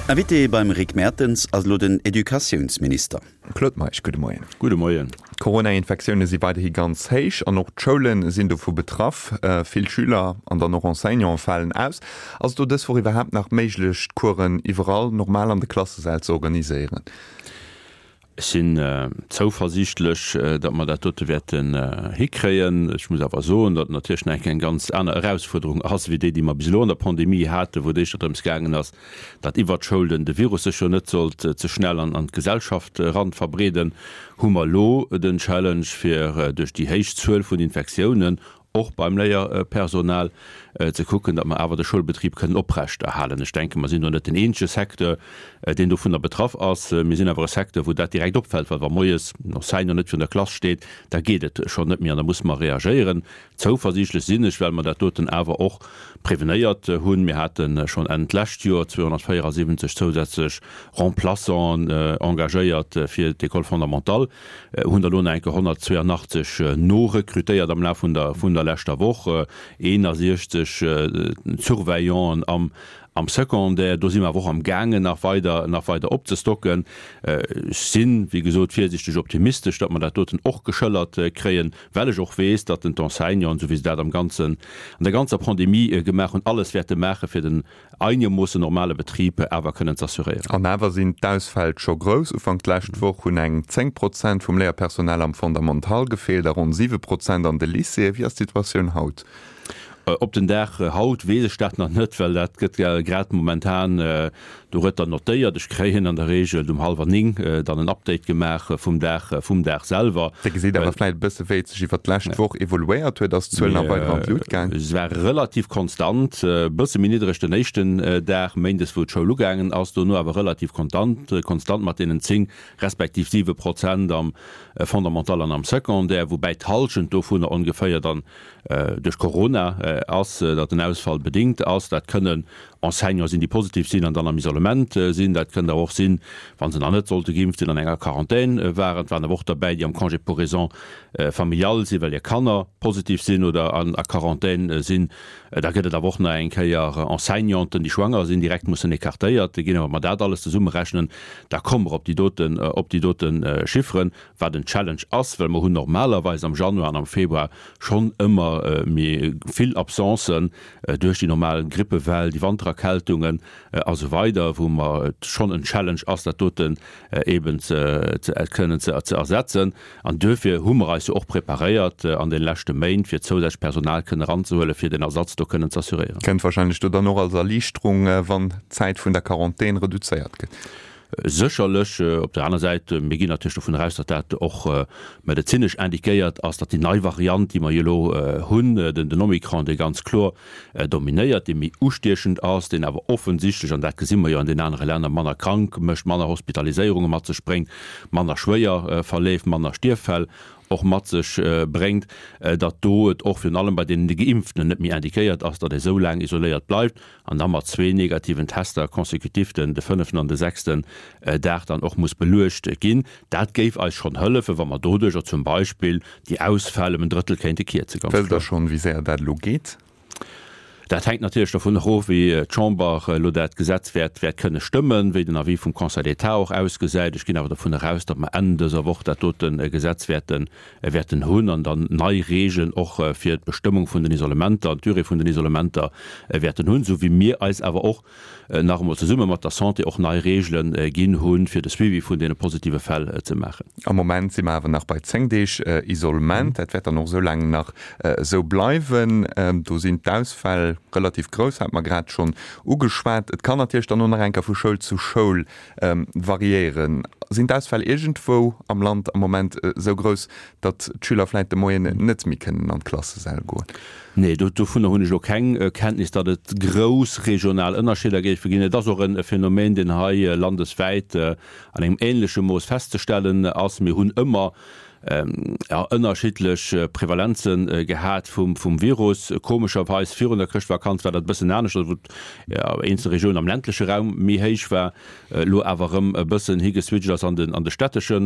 Invité beim Rick Mertens ass elo den Educatiounsminister. Claude Meisch, gudde Moien. Gudde Moien. D'Corona-Infektioune si weiderhi ganz héich an och d'Schoule sinn dovu betraff. Vill Schüler an dann och Enseignante falen aus. Ass et do dës Woch iwwerhaapt nach méiglech, d'Coursen iwwerall normal an de Klassesäll ze organiséieren? Ech sinn zouversiichtlech, datt mer dat dote wäerten hikréien. Ech muss awer soen, datt et natierlech nach eng Kéier eng ganz aner Erausfuerderung ass wéi déi, déi mer bis elo an der Pandemie haten, wou et éischter drëms gaangen ass, datt iwwert d'Schoul den de Virus sech jo net sollt ze schnell an an d'Gesellschaft eran verbreeden, hu mer elo den Challenge fir duerch déi héich Zuel vun Infektiounen och beim Léierpersonal, ze kucken, datt mer awer de Schoulbetrib kënnen oprechterhalen. Ech denken, mer sinn do net den eenzege Secteur, deen dovunner betraff ass. Mir sinn awer e Secteur, wou dat direkt opfält, well wa moies en Enseignant net virun der Klass steet, da geet et schonn net méi an da musse mer reagéieren. Zouversiichtlech sinn ech, well mer dat doten awer och prevenéiert hunn. Mir hate schonn Enn d'lescht Joer 274 zousätzlech Remplaçanten engagéiert fir d'École fondamentale, hunn der elo nach eng Kéier 182 norekrutéiert am Laf vun der vun der leschter Woch, 61 Surveillanten am am Secondaire. Do si mer awer och am gaangen nach weider nach weider opzestocken. Ech sinn, wéi gesot, virsiichteg optimistesch, datt mer dat doten och geschëllert kréien, well ech och weess, datt den d'Enseignanten, esou wéi se dat am ganzen an der ganzer Pandemie gemaach hunn, alles wäerte maache fir den einegermoossen normale Betrib awer kënnen z'assuréieren. An awer sinn d'Ausfäll scho grouss. Ufank d'lescht Woch hunn eng 10 Prozent vum Léierpersonal am Fondamental gefeelt a ronn 7 Prozent an de Lycéeën. Wéi ass d'Situatioun haut? Op den Dag haut weess ech dat nach net, well dat gëtt grad momentan dorëtter notéiert. Ech kréien an der Reegel um hallwer 9 dann en Update gemaach vum Dag, vum Dag selwer. Dir gesitt awer vläicht e bësse wéi et sech iwwer d'lescht Woch evoluéiert huet. Ass d'Zuel nach weider an d'Lut gaang? Se war relativ konstant, e bësse méi niddreg den éischten Dag, méindes, wou d'Schoul ugaangen ass, dono awer relativ kontant, konstant mat deenen 10 respektiv 7 Prozent am Fondamental an am Secondaire, woubäi d'Hallschent dovunner ongeféier dann duerch Corona ass, datt den Ausfall bedéngt ass. Dat kënnen Enseignante sinn, déi positiv sinn an dann am Isolement sinn. Dat kënnt awer och sinn, wa se nach net sollte geimpft sinn, an enger Quarantän waren. Et waren awer och derbäi, déi am Congé pour raisons familiales sinn, well hir Kanner positiv sinn oder a Quarantän sinn. Da gëtt et awer och nach eng Kéier Enseignanten, déi schwanger sinn, direkt mussen écartéiert ginn. A wa mer dat alles zesummerechnen, da komme mer op déi doten, op déi dote Chifferen. Wat en Challenge ass, well mer hunn normalerweis am Januar an am Februar schonn ëmmer méi vill Absencen duerch déi normal Grippewell, déi Wantererkältungen a sou weider, wou mer et schonn en Challenge ass, dat doten eeben ze kënnen ze ersetzen. An duerfir hu mer eis jo och preparéiert an de leschte Méint, fir zousätzlech Personal kënnen eranzehuelen, fir den Ersatz do kënnen z'assuréieren. Kënnt wahrscheinlech do dann och als Erliichterung, wann d'Zäit vun der Quarantän reduzéiert gëtt. Sécherlech. Op der aner Säit, mir ginn natierlech dovun eraus, datt dat och medezinesch indiquéiert ass, datt déi nei Variant, déi mer jo elo hunn, den Omikron, dee ganz kloer dominéiert, dee méi ustiechend ass, deen awer offensichtlech, an dat gesi mer jo an den anere Länner, manner krank mécht, manner Hospitaliséierunge mat sech bréngt, manner schwéier verleeft, manner Stierffäll och mat sech bréngt, datt do et och virun allem bei deenen Geimpften net méi indiquéiert ass, datt ee sou laang isoléiert bleift. an da mat zwee negativen Tester consécutif den de fënneften an de sechsten Dag dann och muss beluecht ginn. Dat géif eis schonn hëllefen, wa mer doduercher zum Beispill déi Ausfäll ëm en Drëttel kéinte kierzen, ganz Wësst Der kloer. schonn, wéi séier dat elo geet? Dat hänkt natierlech dovun erof, wéi d'Chamber elo dat Gesetz wäert wäert kënne stëmmen, wéi den Avis vum Conseil d'État och ausgesäit. Ech ginn awer dovun eraus, datt mer Enn dëser Woch dat dote Gesetz wäerten wäerten hunn an dann nei Regeln och fir d'Bestëmmung vun den Isolementer an d'Durée vun den Isolementer wäerten hunn, esou wéi mir eis awer och nach emol zesumme mat der Santé och nei Regele ginn hunn, fir de Suivi vun deene positive Fäll ze maachen. Am Moment si mer awer nach bei 10 Deeg Isolement. Dat wäert dann och esou laang nach esou bleiwen. Do sinn d'Ausfäll relativ grouss, hat mer grad schonn ugeschwat. Et kann natierlech dann och nach eng Kéier vu Schoul zu Schoul Variéieren. Sinn d'Ausfäll iergendwou am Land am Moment esou grouss, datt d'Schüler vläit de Moien net méi kënnen an d'Klassesäll goen? Nee, dovunner hunn ech elo keng Kenntnis, datt et grouss regional Ënnerscheeder géife ginn. Et ass och e Phänomen, deen hei landeswäit an engem änleche Mooss festzestellen ass. Mir hunn ëmmer. Ënnerschiddlech Prevalenze gehat vum Virus. Komescherweis virun der Chrëschtvakanz war dat e bëssen anescht, wou eenzel Regiounen am ländleche Raum méi héich war, elo awer erëm e bëssen higeswitcht ass an de stättesche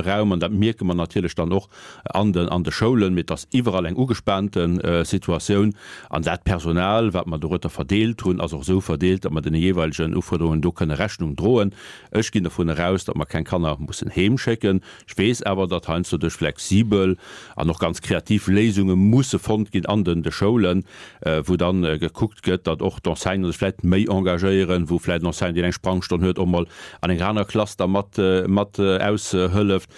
Raum. An dat mierke mer natierlech dann och an de Schoulen. Mee et ass iwwerall eng ugespaante Situatioun. An dat Personal, wat mer dorueter verdeelt hunn, ass och esou verdeelt, datt mer deene jeeweilegen Ufuerderungen do kënne Rechnung droen. Ech ginn dovun eraus, datt mer keng Kanner mussen heemschécken. Ech weess awer, datt heiansdo duerch flexibel an och ganz kreativ Léisunge musse fonnt ginn an den de Schoulen, wou dann gekuckt gëtt, datt och d'Enseignanten sech vläicht méi engagéieren, wou vläicht en Enseignant, deen eng Sprangstonn huet, och mol an enger anerer Klass da mat mat aushëlleft,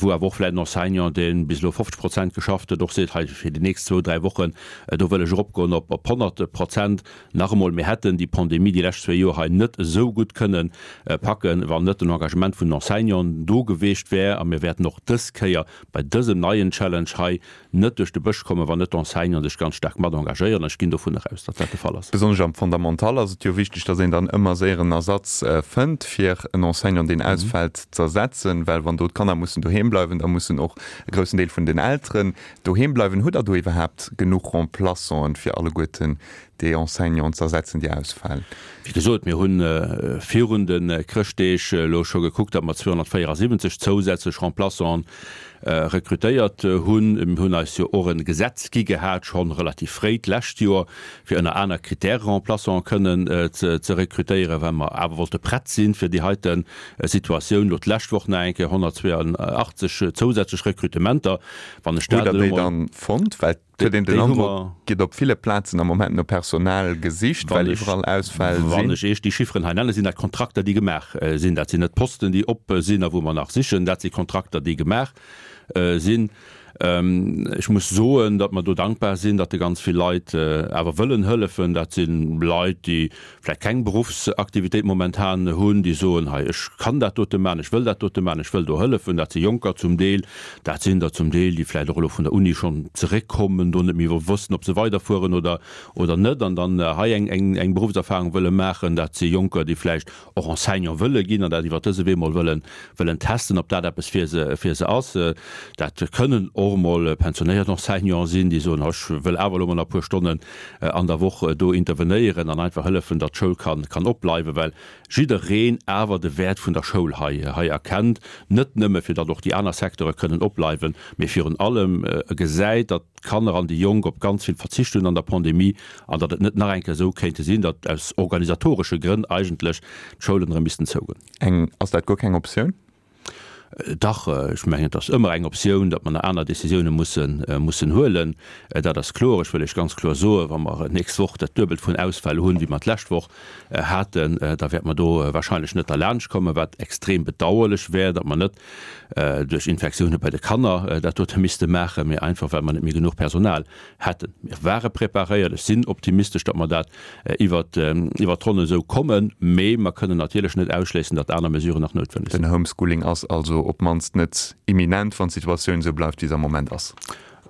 wou awer och vläicht en Enseignant, dee bis elo 50 Prozent geschafft huet, och seet, hei fir déi nächst zwou, dräi Wochen, do wëll ech eropgoen op op 100 Prozent. Nach emol, mir hätten déi Pandemie déi lescht zwee Joer hei net esou gutt kënnen packen, wann net den Engagement vun den Enseignanten do geweecht wär. A mir wäerten och dës Kéier bei dësem neien Challenge hei net duerch de Bësch kommen, wann net d'Enseignanten sech ganz staark mat engagéieren. An ech ginn dovun eraus, datt dat de Fall ass. Besonnesch am Fondamental ass et jo wichteg, datt een dann ëmmer séier en Ersatz fënnt, fir en Enseignant, deen ausfält, z'ersetzen. Well wann do d'Kanner mussen doheem bleiwen, da mussen och e groussen Deel vun den Elteren doheem bleiwen. Hutt Der do iwwerhaapt genuch Remplaçanten, fir alleguerten déi Enseignanten ze ersetzen, déi ausfalen? Wéi gesot, mir hu virun de Chrëschtdeeg elo scho gekuckt, datt mer 274 zousätzlech Remplaçanten rekrutéiert hunn. Mir hunn eis jo och e Gesetz gi gehat, scho relativ fréi d'lescht Joer, fir ënner aner Kritäre Remplaçanten kënnen ze rekrutéieren, well mer awer wollte prett sinn fir déi heite Situatioun. Elo d'lescht Woch nach eng Kéier 182 zousätzlech Rekrutementer. Wann ech dat elo mol. Hutt Der déi dann fonnt? Well et huet een den Androck, et gëtt op ville Plazen am Moment no Personal gesicht, well iwwerall Ausfäll sinn. Wann ech Iech déi Chifferen hei nennen, sinn dat Kontrakter, déi gemaach sinn. Dat sinn net Posten, déi op sinn a wou mer nach sichen. Dat si Kontrakter, déi gemaach sinn. Ech muss soen, datt mer do dankbar sinn, datt ganz vill Leit awer wëllen hëllefen. Dat si Leit, déi vläicht keng Beruffsaktivitéit momentan hunn, déi soen, hei ech kann dat dote maachen, ech wëll dat dote maachen, ech wëll do hëllefen. Dat si Jonker zum Deel, dat sinn der zum Deel, déi vläicht och elo vun der Uni schonn zeréckkommen, do net méi wëssen, ob se weiderfueren oder oder net an dann hei eng eng Beruffserfahrung wëlle maachen. Dat si Jonker, déi vläicht och Enseignant wëlle ginn an dat iwwer dëse Wee mol wëllen, wëllen testen, ob dat eppes fir se, fir se ass. Dat kënnen och mol pensionéiert Enseignanten sinn, déi soen, ech wëll awer elo mol nach e puer Stonnen an der Woch do intervenéieren an einfach hëllefen, datt d'Schoul kann, kann opbleiwen, well jiddereen awer de Wäert vun der Schoul hei, hei erkennt, net nëmme fir datt och déi aner Secteure kënnen opbleiwen, mee virun allem gesäit, datt d'Kanner an déi Jonk op ganz vill verzicht hunn an der Pandemie an datt et net nach eng Kéier esou kéinte sinn, datt aus organisatoresche Grënn eigentlech d'Schoulen erëm missten zougoen. Eng, Ass dat guer keng Optioun? Dach, ech mengen, et ass ëmmer eng Optioun, datt mer nach aner Décisioune mussen, mussen huelen. Dat ass kloer. Ech wëll Iech ganz kloer soen, wa mer d'nächst Woch dat Duebelt vun Ausfäll hunn, wéi mer d'lescht Woch haten, da wäerte mer do wahrscheinlech net derlaanscht kommen, wat extrem bedauerlech wär, datt mer net duerch Infektioune bei de Kanner dat dote misste maachen, mee einfach well mer net méi genuch Personal hätten. Mir ware preparéiert. Ech sinn optimistesch, datt mer dat iwwert d'Ronn esou kommen, mee mer kënnen natierlech net ausschléissen, datt aner Mesuren nach noutwenneg sinn. Den Homeschooling ass also op d'mannst net imminent, wann d'Situatioun esou bleift, wéi se am Moment ass.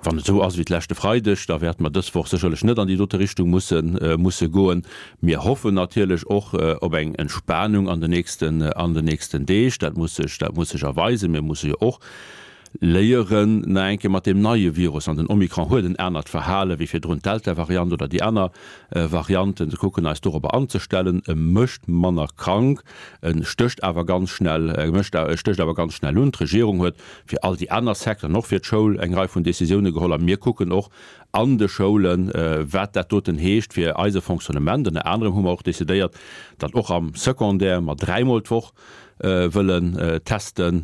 Wann et esou ass wéi d'leschte Freideg, da wäerte mer dës Woch sécherlech net an déi dote Richtung musse musse goen. Mir hoffen natierlech och op eng Entspanung an den nächsten an den nächsten Deeg. Dat muss sech dat muss sech erweisen. Mir musse jo och léieren nach eng Kéier mat deem neie Virus, an den Omikron huet en anert Verhale wéi virdrun d'Delta-Variant oder déi aner Varianten, ze kucken eis dorobber anzestellen. E mécht manner krank, e stécht awer ganz schnell, e mécht e stécht awer ganz schnell un. D'Regierung huet fir all déi aner Secteuren, och fir d'Schoul, eng Rei vun Décisioune geholl a mir kucken och an de Schoulen, wat dat doten heescht fir eise Fonctionnement. Ënner anerem hu mer och décidéiert, datt och am Secondaire mer dräimol d'Woch wëllen testen,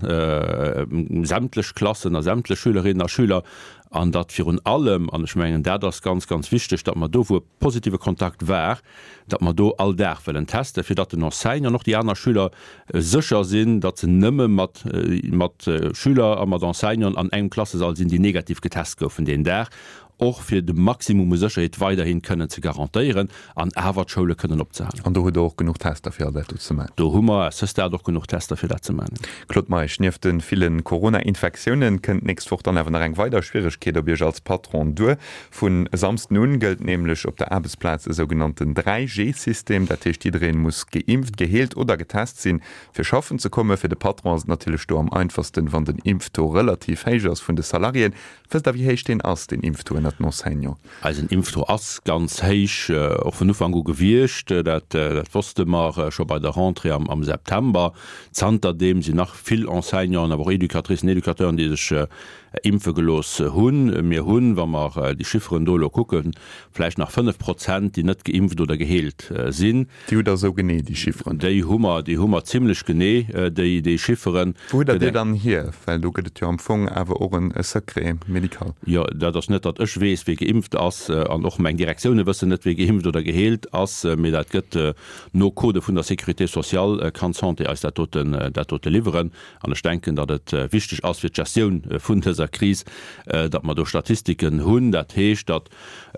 sämtlech Klassen a sämtlech Schülerinnen a Schüler, an datt virun allem, an ech mengen dat ass ganz, ganz wichteg, datt mer do, wou e positive Kontakt war, datt mer do all Dag wëllen testen, fir datt den Enseignant an och déi aner Schüler sécher sinn, datt se nëmme mat mat Schüler a mat Enseignanten an engem Klassesall sinn, déi negativ getest goufen deen Dag. och fir de Maximum u Sécherheet weiderhi kënnen ze garantéieren an awer d'Schoule kënnen opzehalen. An do hutt Der och genuch Tester, fir all dat do ze maachen? Do hu mer à ce stade och genuch Tester, fir dat ze maachen. Claude Meisch, Nieft de ville Corona-Infektiounen kënnt d'nächst Woch dann awer nach eng weider Schwieregkeet op Iech als Patron duer. Vun e Samsden un gëllt nämlech op der Aarbechtsplaz e sougenannten 3G-System. Dat heescht, jiddereen muss geimpft, geheelt oder getest sinn, fir schaffen ze kommen. Fir de Patron ass et natierlech do am einfachsten, wann den Impftaux relativ héich ass vun de Salariéen. Wësst Der, wéi héich deen ass, deen Impftaux ënnert den Enseignanten? Eisen Impftaux ass ganz héich, och vun Ufank u gewiescht. Dat wosste mer scho bei der Rentrée am September. Zanterdeem sinn nach vill Enseignanten, awer och Educatricen, Educateuren, déi sech impfe gelooss hunn. Mir hunn, wa mer déi Chifferen do elo kucken, vläicht nach 5 Prozent, déi net geimpft oder geheelt sinn. Déi hutt Der esou genee, déi Chifferen? Déi hu mer, déi hu mer zimlech genee, déi, déi Chifferen. Wou hutt Der déi dann hier? Well do gëtt et jo am Fong awer och e Secret médical. Jo, dat ass net, datt ech weess, wie geimpft ass, an och meng Direktioune wëssen net, wie geimpft oder geheelt ass, mee dat gëtt no Codë vun der Sécurité sociale, kann d'Santé eis dat doten, dat dote liwweren. An ech denken, datt et wichteg ass fir d'Gestioun vun dëser Kris, datt mer do Statistiken hunn. Dat heescht, datt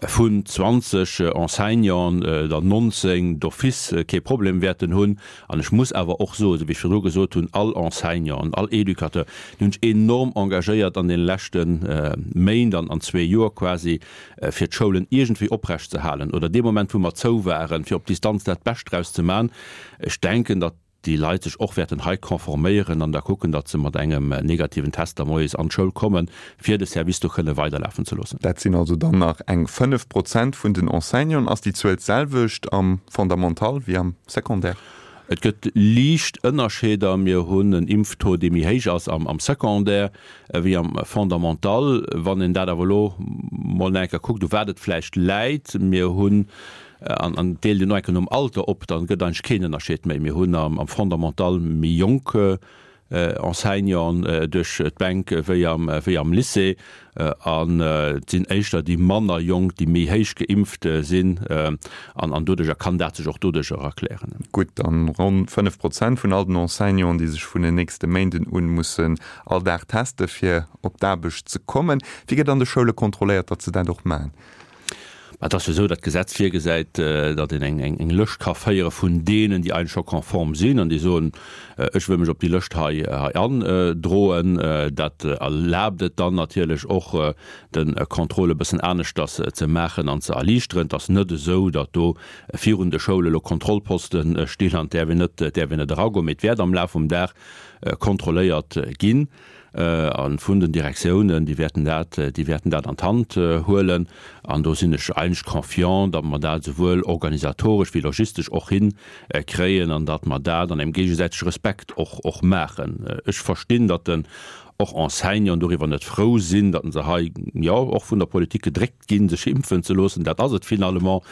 vun 20 Enseignanten der 19 d'office kee Problem wäerten hunn. An ech muss awer och soen, esou wéi ech virdru gesot hunn, all Enseignant an all Educateur, déi hunn sech enorm engagéiert an deene leschte Méint an zwee Joer quasi, fir d'Schoulen iergendwéi oprecht ze halen oder dee Moment, wou mer zou waren, fir op Distanz dat Bescht draus ze man. Ech denken, datt déi Leit sech och wäerten hei conforméieren an da kucken, datt se mat engem negativen Test da moies an d'Schoul kommen, fir de Service do kënne weiderlafen ze loossen. Dat sinn also dann nach eng 5 Prozent vun den Enseignanten. Ass déi Zuel d'selwecht am Fondamental wéi am Secondaire? Et gëtt liicht Ënnerscheeder. Mir hunn en Impftaux, dee méi héich ass am Secondaire wéi am Fondamental. Wann een dat awer elo mol nach eng Kéier kuckt, u wat et vläicht läit, mir hunn An an deelt een och enke nom Alter op, dann gëtt eigentlech keen Ënnerscheed méi. Mir hunn am Fondamental méi jonk Enseignanten duerch d'Bänk wéi am wéi am Lycée. An et sinn éischter déi manner jonk, déi méi héich geimpft sinn. An an doduercher kann dat sech och doduercher erklären. Gutt, dann ronn 5 Prozent vun all den Enseignanten, déi sech vun den nächste Méinden un mussen all Dag teste fir op d'Aarbecht ze kommen. Wéi gëtt an de Schoule kontrolléiert, datt se dat och maachen? Mä et ass jo esou, datt d'Gesetz virgesäit, datt een eng Lëscht ka féiere vun deenen, déi eigentlech scho konform sinn an déi soen, ech wëll mech op déi Lëscht hei androen. Dat erlaabt et dann natierlech och, de Contrôle e bëssen aneschters ze maachen an ze erliichteren. Et ass net esou, datt do virun de Schoule elo Kontrollposte stinn an et däerf een net, däerf een net eragoen, mee et wäert am Laf vum Dag kontrolléiert ginn. A vun den Direktiounen, déi wäerten dat, déi wäerten dat an d'Hand huelen. An do sinn ech eigentlech confiant, datt mer dat esouwuel organisatoresch wéi logistesch och hinkréien an datt mer dat an engem géigesäitege Respekt och, och maachen. Ech verstinn, datt den och Enseignanten doriwwer net frou sinn, datt se hei, jo, och vun der Politik gedréckt ginn, sech impfen ze loossen. Dat ass et finalement.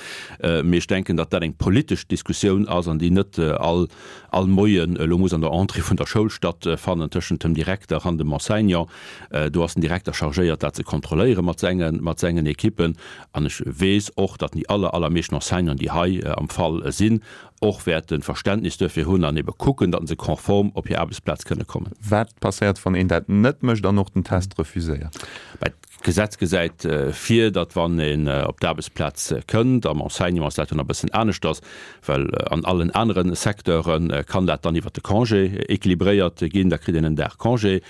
Mee ech denken, datt dat eng politesch Diskussioun ass an déi net all all Moien elo muss an der Entrée vun der Schoul stattfannen tëschent dem Direkter an dem Enseignant. Do ass den Direkter chargéiert, dat ze kontrolléiere mat senge mat sengen Ekippen. An ech weess och, datt déi aller allermeeschten Enseignanten, déi hei am Fall sinn, och wäerte Verständnis duerfir hunn an ebe kucken, datt se konform op hir Aarbechtsplaz kënne kommen. Wat passéiert, wann een dat net mécht an och den Test refuséiert? D'Gesetz gesäit vir, datt wann een op d'Aarbechtsplaz kënnt, am Enseignement ass dat jo nach e bëssen aneschters, well an allen anere Secteure kann dat dann iwwert de Congé équilibréiert ginn, da kritt een en Dag Congé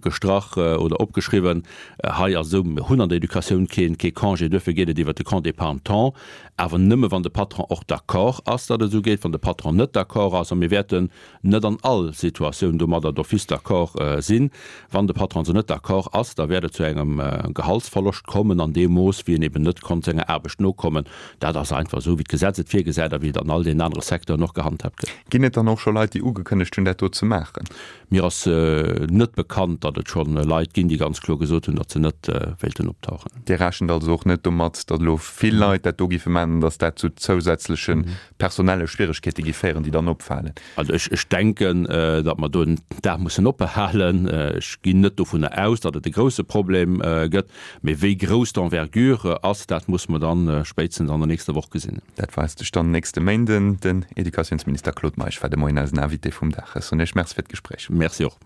gestrach oder opgeschriwwen. Hei ass et esou, mir hunn an der Educatioun kee Congé, duerfir geet et iwwert de Congé d'épargne-temps, awer nëmme wann de Patron och d'accord ass, datt et esou geet. Wann de Patron net d'accord ass, a mir wäerten net an all Situatioun domadder d'office d'accord sinn. Wann de Patron also net d'accord ass, da wäert et zu engem Gehaltsverloscht kommen an deem Mooss, wéi en eben net konnt senger Aarbecht nokommen. Dat ass einfach esou, wéi d'Gesetz et virgesäit a wéi et an all deenen anere Secteuren och gehandhaabt gëtt. Ginn et dann och scho Leit, déi ugekënnegt hunn, dat do ze maachen? Mir ass net bekannt, datt et scho Leit ginn, déi ganz kloer gesot hunn, datt se net wéilten optauchen. Dir rechent also och net domat, datt elo vill Leit dat do géife maachen an datt dat zu zousätzleche personelle Schwieregkeete gi féieren, déi dann opfalen? Also ech, ech denken, datt mer do en Dag mussen ophalen. Ech ginn net dovunner aus, datt et e grouse Problem gëtt. Mee wéi grouss d'Envergure ass, dat musse mer dann spéitstens an der nächster Woch gesinn. Dat weist sech dann nächste Méinden. Den Educatiounsminister Claude Meisch war de Moien eisen Invité vum Dag. Ech soen Iech Merci fir d'Gespréich. Merci och.